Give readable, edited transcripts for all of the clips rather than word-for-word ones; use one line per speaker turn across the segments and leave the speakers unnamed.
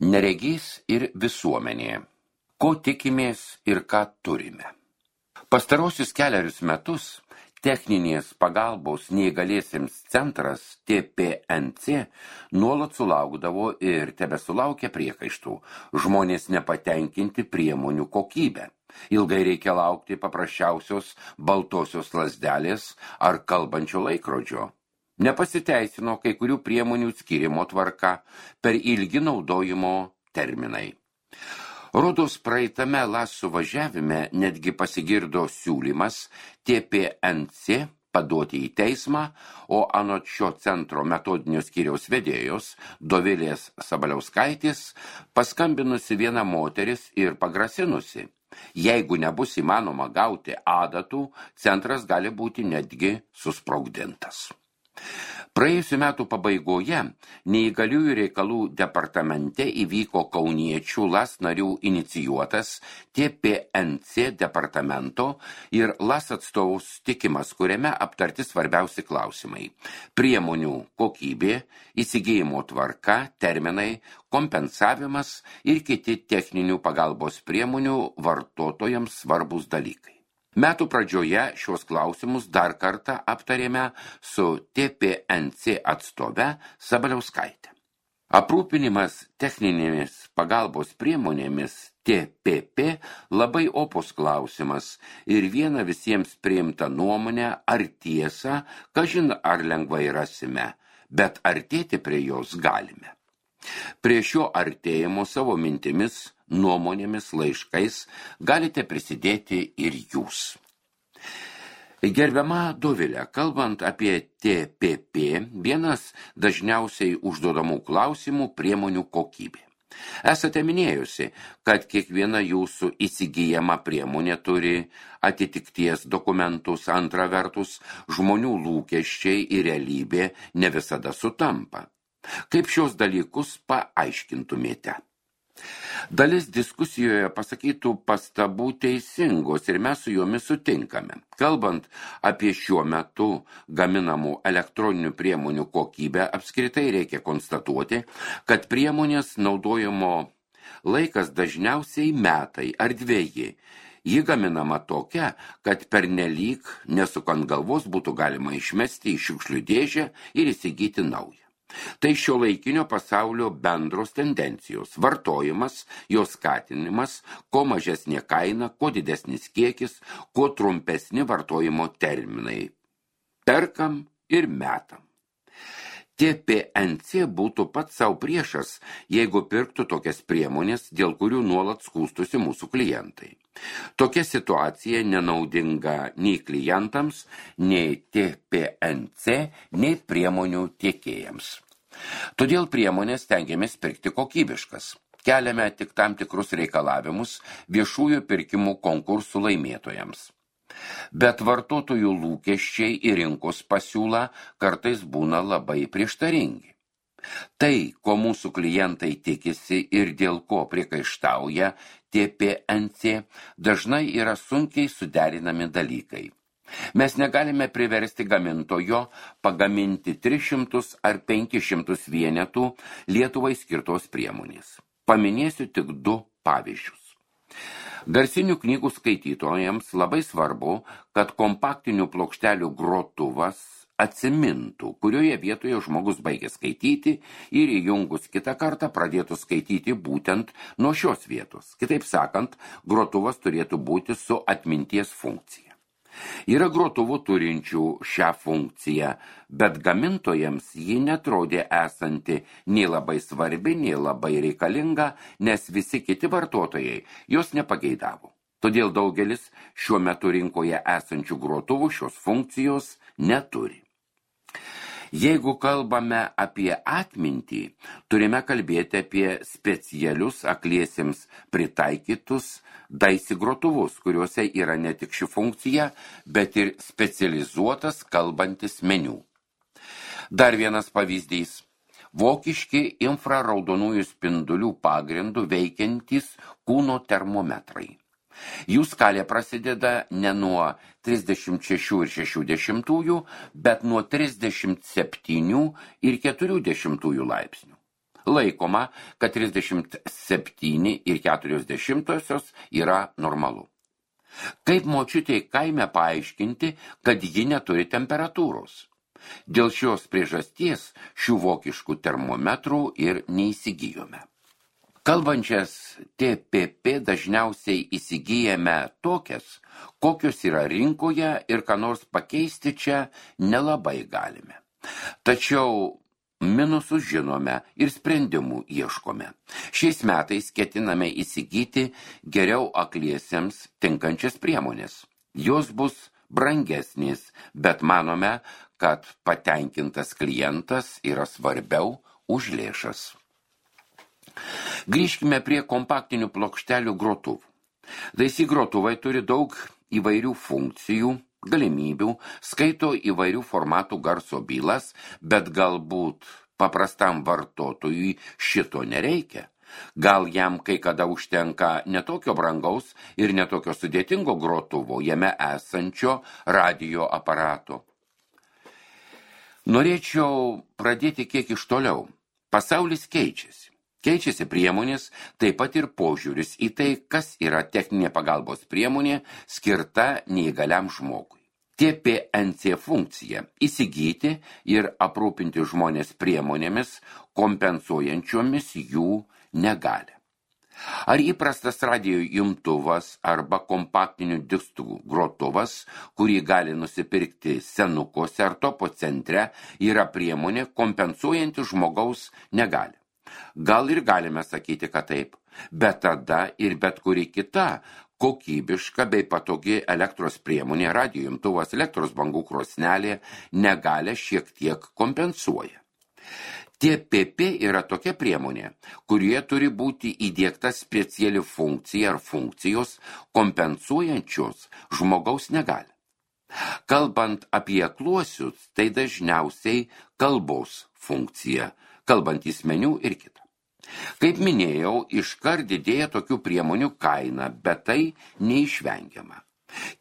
Neregys ir visuomenė. Ko tikimės ir ką turime? Pastarosius kelerius metus techninės pagalbos neįgaliesiems centras TPNC nuolat sulaukdavo ir tebesulaukia priekaištų. Žmonės nepatenkinti priemonių kokybę. Ilgai reikia laukti paprasčiausios baltosios lazdelės ar kalbančio laikrodžio. Nepasiteisino kai kurių priemonių skyrimo tvarka, per ilgi naudojimo terminai. Rodos praeitame LAS suvažiavime netgi pasigirdo siūlymas TPNC paduoti į teismą, o anot šio centro metodinio skyriaus vedėjos Dovilės Sabaliauskaitės paskambinusi viena moteris ir pagrasinusi. Jeigu nebus įmanoma gauti adatų, centras gali būti netgi susprogdintas. Praėjusių metų pabaigoje neįgaliųjų reikalų departamente įvyko kauniečių LAS narių inicijuotas TPNC departamento ir LAS atstovų susitikimas, kuriame aptarti svarbiausi klausimai: priemonių kokybė, įsigijimo tvarka, terminai, kompensavimas ir kiti techninių pagalbos priemonių vartotojams svarbus dalykai. Metų pradžioje šios klausimus dar kartą aptarėme su TPNC atstove Sabaliauskaite. Aprūpinimas techninėmis pagalbos priemonėmis TPP labai opus klausimas ir viena visiems priimta nuomonė ar tiesa, kažin ar lengvai rasime, bet artėti prie jos galime. Prie šio artėjimo savo mintimis, nuomonėmis, laiškais galite prisidėti ir jūs. Gerbiama Dovilė, kalbant apie TPP, vienas dažniausiai užduodamų klausimų priemonių kokybė. Esate minėjusi, kad kiekviena jūsų įsigyjama priemonė turi atitikties dokumentus, antra vertus, žmonių lūkesčiai ir realybė ne visada sutampa. Kaip šios dalykus paaiškintumėte? Dalis diskusijoje pasakytų pastabų teisingos ir mes su jomis sutinkame. Kalbant apie šiuo metu gaminamų elektroninių priemonių kokybę, apskritai reikia konstatuoti, kad priemonės naudojimo laikas dažniausiai metai ar dveji. Ji gaminama tokia, kad pernelyg nesukant galvos būtų galima išmesti į šiukšlių dėžę ir įsigyti naują. Tai šiuolaikinio pasaulio bendros tendencijos, vartojimas, jos skatinimas, kuo mažesnė kaina, kuo didesnis kiekis, kuo trumpesni vartojimo terminai. Perkam ir metam. TPNC būtų pats savo priešas, jeigu pirktų tokias priemonės, dėl kurių nuolat skųstųsi mūsų klientai. Tokia situacija nenaudinga nei klientams, nei TPNC, nei priemonių tiekėjams. Todėl priemonės stengiamės pirkti kokybiškas. Keliame tik tam tikrus reikalavimus viešųjų pirkimų konkursų laimėtojams. Bet vartotojų lūkesčiai ir rinkos pasiūla kartais būna labai prieštaringi. Tai, ko mūsų klientai tikisi ir dėl ko priekaištauja TPNC, dažnai yra sunkiai suderinami dalykai. Mes negalime priversti gamintojo pagaminti 300 ar 500 vienetų Lietuvai skirtos priemonės. Paminėsiu tik 2 pavyzdžius. Garsinių knygų skaitytojams labai svarbu, kad kompaktinių plokštelių grotuvas atsimintų, kurioje vietoje žmogus baigia skaityti ir įjungus kitą kartą pradėtų skaityti būtent nuo šios vietos. Kitaip sakant, grotuvas turėtų būti su atminties funkcija. Yra grotuvų turinčių šią funkciją, bet gamintojams ji netrodė esanti nei labai svarbi, nei labai reikalinga, nes visi kiti vartotojai jos nepageidavo. Todėl daugelis šiuo metu rinkoje esančių grotuvų šios funkcijos neturi. Jeigu kalbame apie atmintį, turime kalbėti apie specialius akliesiems pritaikytus daisy grotuvus, kuriuose yra ne tik ši funkcija, bet ir specializuotas kalbantis meniu. Dar vienas pavyzdys. Vokiški infraraudonųjų spindulių pagrindų veikiantys kūno termometrai. Jų skalė prasideda ne nuo 36,6, bet nuo 37,4 laipsnių. Laikoma, kad 37,4 yra normalu. Kaip močiutei kaime paaiškinti, kad ji neturi temperatūros? Dėl šios priežasties šių vokiškų termometrų ir neįsigijome. Kalbančias TPP dažniausiai įsigijame tokias, kokios yra rinkoje ir ką nors pakeisti čia nelabai galime. Tačiau minusus žinome ir sprendimų ieškome. Šiais metais ketiname įsigyti geriau akliesiems tinkančias priemonės. Jos bus brangesnės, bet manome, kad patenkintas klientas yra svarbiau už lėšas. Grįžkime prie kompaktinių plokštelių grotuvų. Daisy grotuvai turi daug įvairių funkcijų, galimybių, skaito įvairių formatų garso bylas, bet galbūt paprastam vartotojui šito nereikia. Gal jam kai kada užtenka netokio brangaus ir netokio sudėtingo grotuvo jame esančio radijo aparato. Norėčiau pradėti kiek iš toliau. Pasaulis keičiasi. Keičiasi priemonės, taip pat ir požiūris į tai, kas yra techninė pagalbos priemonė skirta neįgaliam žmogui. TPNC funkcija – įsigyti ir aprūpinti žmonės priemonėmis, kompensuojančiomis jų negalią. Ar įprastas radijo imtuvas arba kompaktinių diskų grotuvas, kurį gali nusipirkti senukose ar topo centre, yra priemonė kompensuojanti žmogaus negalią? Gal ir galime sakyti, kad taip, bet tada ir bet kuri kita kokybiška bei patogi elektros priemonė, radijo imtuvas, elektros bangų krosnelė negalią šiek tiek kompensuoja. TPP yra tokia priemonė, kurioje turi būti įdiegta speciali funkcija ar funkcijos kompensuojančios žmogaus negalią. Kalbant apie akluosius, tai dažniausiai kalbos funkcija, kalbantys meniu ir kita. Kaip minėjau, iškart didėja tokių priemonių kaina, bet tai neišvengiama.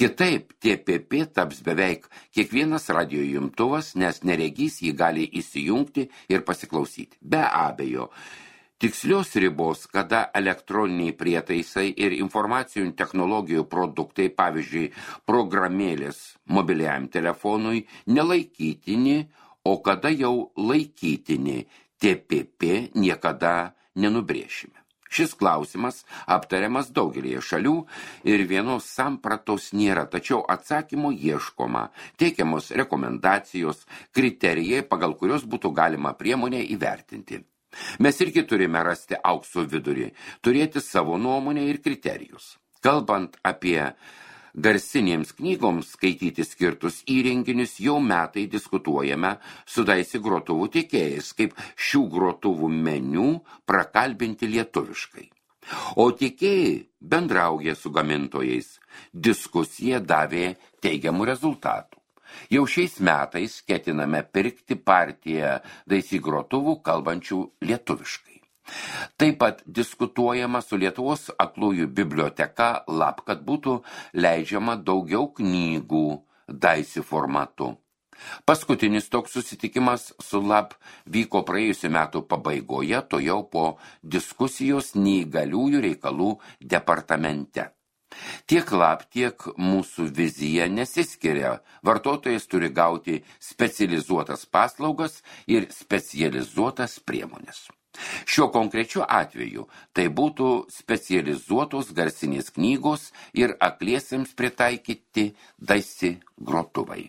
Kitaip, TPP taps beveik kiekvienas radijo imtuvas, nes neregys jį gali įsijungti ir pasiklausyti. Be abejo, tikslios ribos, kada elektroniniai prietaisai ir informacijų technologijų produktai, pavyzdžiui, programėlės mobiliajam telefonui, nelaikytini, o kada jau laikytini, TPP niekada nenubrėšime. Šis klausimas aptariamas daugelėje šalių ir vienos sampratos nėra, tačiau atsakymo ieškoma, teikiamos rekomendacijos, kriterijai, pagal kurios būtų galima priemonę įvertinti. Mes irgi turime rasti aukso vidurį, turėti savo nuomonę ir kriterijus. Kalbant apie garsinėms knygoms skaityti skirtus įrenginius, jau metai diskutuojame su Daisy grotuvų tiekėjais, kaip šių grotuvų meniu prakalbinti lietuviškai. O tiekėjai bendrauja su gamintojais. Diskusija davė teigiamų rezultatų. Jau šiais metais ketiname pirkti partiją Daisy grotuvų kalbančių lietuviškai. Taip pat diskutuojama su Lietuvos aklųjų biblioteka LAB, kad būtų leidžiama daugiau knygų Daisy formatu. Paskutinis toks susitikimas su LAB vyko praėjusių metų pabaigoje, to jau po diskusijos neįgaliųjų reikalų departamente. Tiek LAB, tiek mūsų vizija nesiskiria. Vartotojas turi gauti specializuotas paslaugas ir specializuotas priemonės. Šiuo konkrečiu atveju tai būtų specializuotos garsinės knygos ir akliesiems pritaikyti Daisy grotuvai.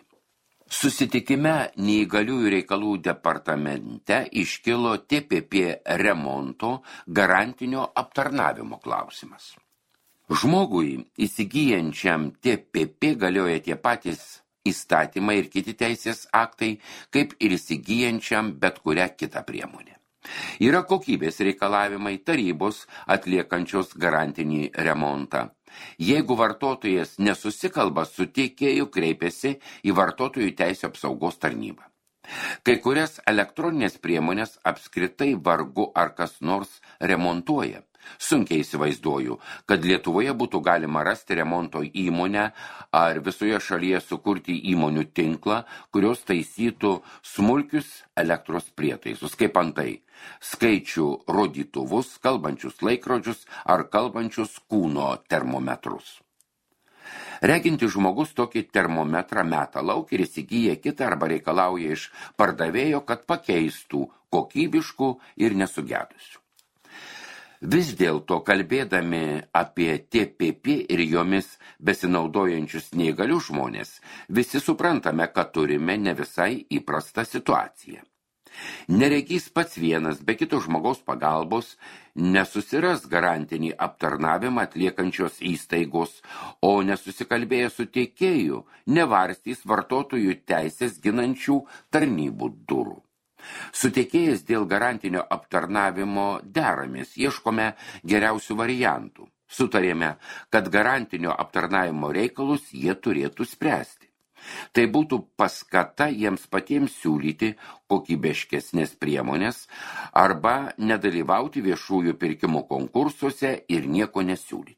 Susitikime neįgaliųjų reikalų departamente iškilo TPP remonto garantinio aptarnavimo klausimas. Žmogui įsigyjančiam TPP galioja tie patys įstatymai ir kiti teisės aktai, kaip ir įsigyjančiam bet kurią kitą priemonę. Yra kokybės reikalavimai tarybos atliekančios garantinį remontą. Jeigu vartotojas nesusikalba su tiekėju, kreipiasi į vartotojų teisių apsaugos tarnybą. Kai kurias elektroninės priemonės apskritai vargu ar kas nors remontuoja. Sunkiai įsivaizduoju, kad Lietuvoje būtų galima rasti remonto įmonę ar visoje šalyje sukurti įmonių tinklą, kurios taisytų smulkius elektros prietaisus, kaip antai skaičių rodytuvus, kalbančius laikrodžius ar kalbančius kūno termometrus. Regintis žmogus tokį termometrą meta lauk ir įsigyja kitą arba reikalauja iš pardavėjo, kad pakeistų kokybiškų ir nesugedusių. Vis dėlto, kalbėdami apie TPP ir jomis besinaudojančius neįgalius žmonės, visi suprantame, kad turime ne visai įprastą situaciją. Neregys pats vienas be kito žmogaus pagalbos nesusiras garantinį aptarnavimą atliekančios įstaigos, o nesusikalbėję su tiekėju nevarstys vartotojų teisės ginančių tarnybų durų. Sutikėjęs dėl garantinio aptarnavimo deramės, ieškome geriausių variantų. Sutarėme, kad garantinio aptarnavimo reikalus jie turėtų spręsti. Tai būtų paskata jiems patiems siūlyti kokybiškesnės priemonės arba nedalyvauti viešųjų pirkimų konkursuose ir nieko nesiūlyti.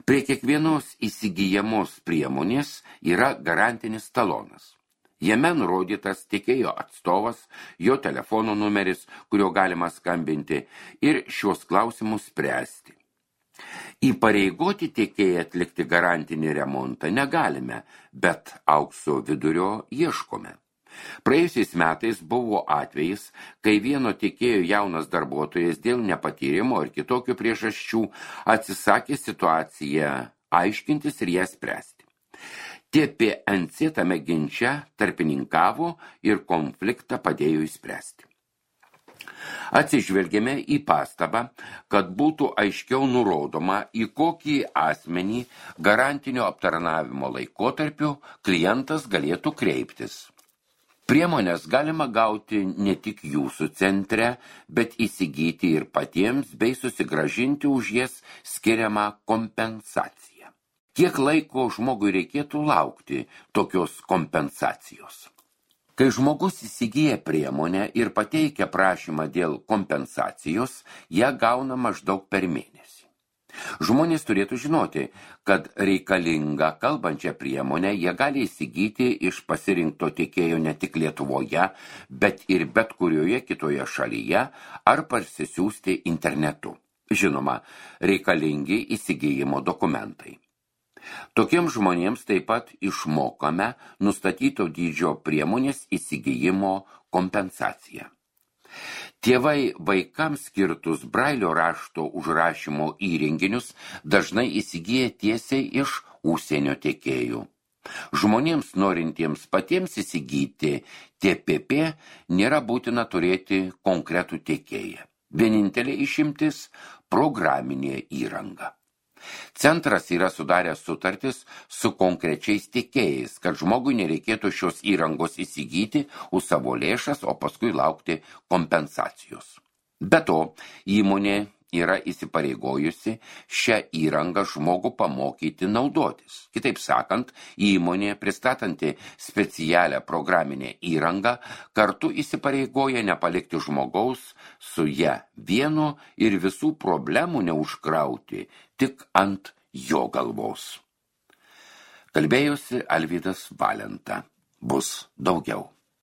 Prie kiekvienos įsigyjamos priemonės yra garantinis talonas. Jame nurodytas tiekėjo atstovas, jo telefono numeris, kurio galima skambinti ir šios klausimus spręsti. Įpareigoti tiekėją atlikti garantinį remontą negalime, bet aukso vidurio ieškome. Praėjusiais metais buvo atvejis, kai vieno tiekėjo jaunas darbuotojas dėl nepatyrimo ir kitokių priežasčių atsisakė situaciją aiškintis ir ją spręsti. TPNC tame ginče tarpininkavo ir konfliktą padėjo išspręsti. Atsižvelgėme į pastabą, kad būtų aiškiau nurodoma, į kokį asmenį garantinio aptarnavimo laikotarpiu klientas galėtų kreiptis. Priemonės galima gauti ne tik jūsų centre, bet įsigyti ir patiems bei susigrąžinti už jas skiriamą kompensaciją. Kiek laiko žmogui reikėtų laukti tokios kompensacijos? Kai žmogus įsigyja priemonę ir pateikia prašymą dėl kompensacijos, ją gauna maždaug per mėnesį. Žmonės turėtų žinoti, kad reikalingą kalbančią priemonę jie gali įsigyti iš pasirinkto tiekėjo ne tik Lietuvoje, bet ir bet kurioje kitoje šalyje ar parsisiųsti internetu. Žinoma, reikalingi įsigijimo dokumentai. Tokiems žmonėms taip pat išmokame nustatyto dydžio priemonės įsigijimo kompensaciją. Tėvai vaikams skirtus brailio rašto užrašymo įrenginius dažnai įsigyja tiesiai iš užsienio tiekėjų. Žmonėms norintiems patiems įsigyti TPP nėra būtina turėti konkretų tiekėją. Vienintelė išimtis – programinė įranga. Centras yra sudaręs sutartis su konkrečiais tiekėjais, kad žmogui nereikėtų šios įrangos įsigyti už savo lėšas, o paskui laukti kompensacijos. Be to, įmonė yra įsipareigojusi šią įrangą žmogų pamokyti naudotis. Kitaip sakant, įmonė, pristatanti specialią programinę įrangą, kartu įsipareigoja nepalikti žmogaus su ja vienu ir visų problemų neužkrauti tik ant jo galvos. Kalbėjosi Alvydas Valenta. Bus daugiau.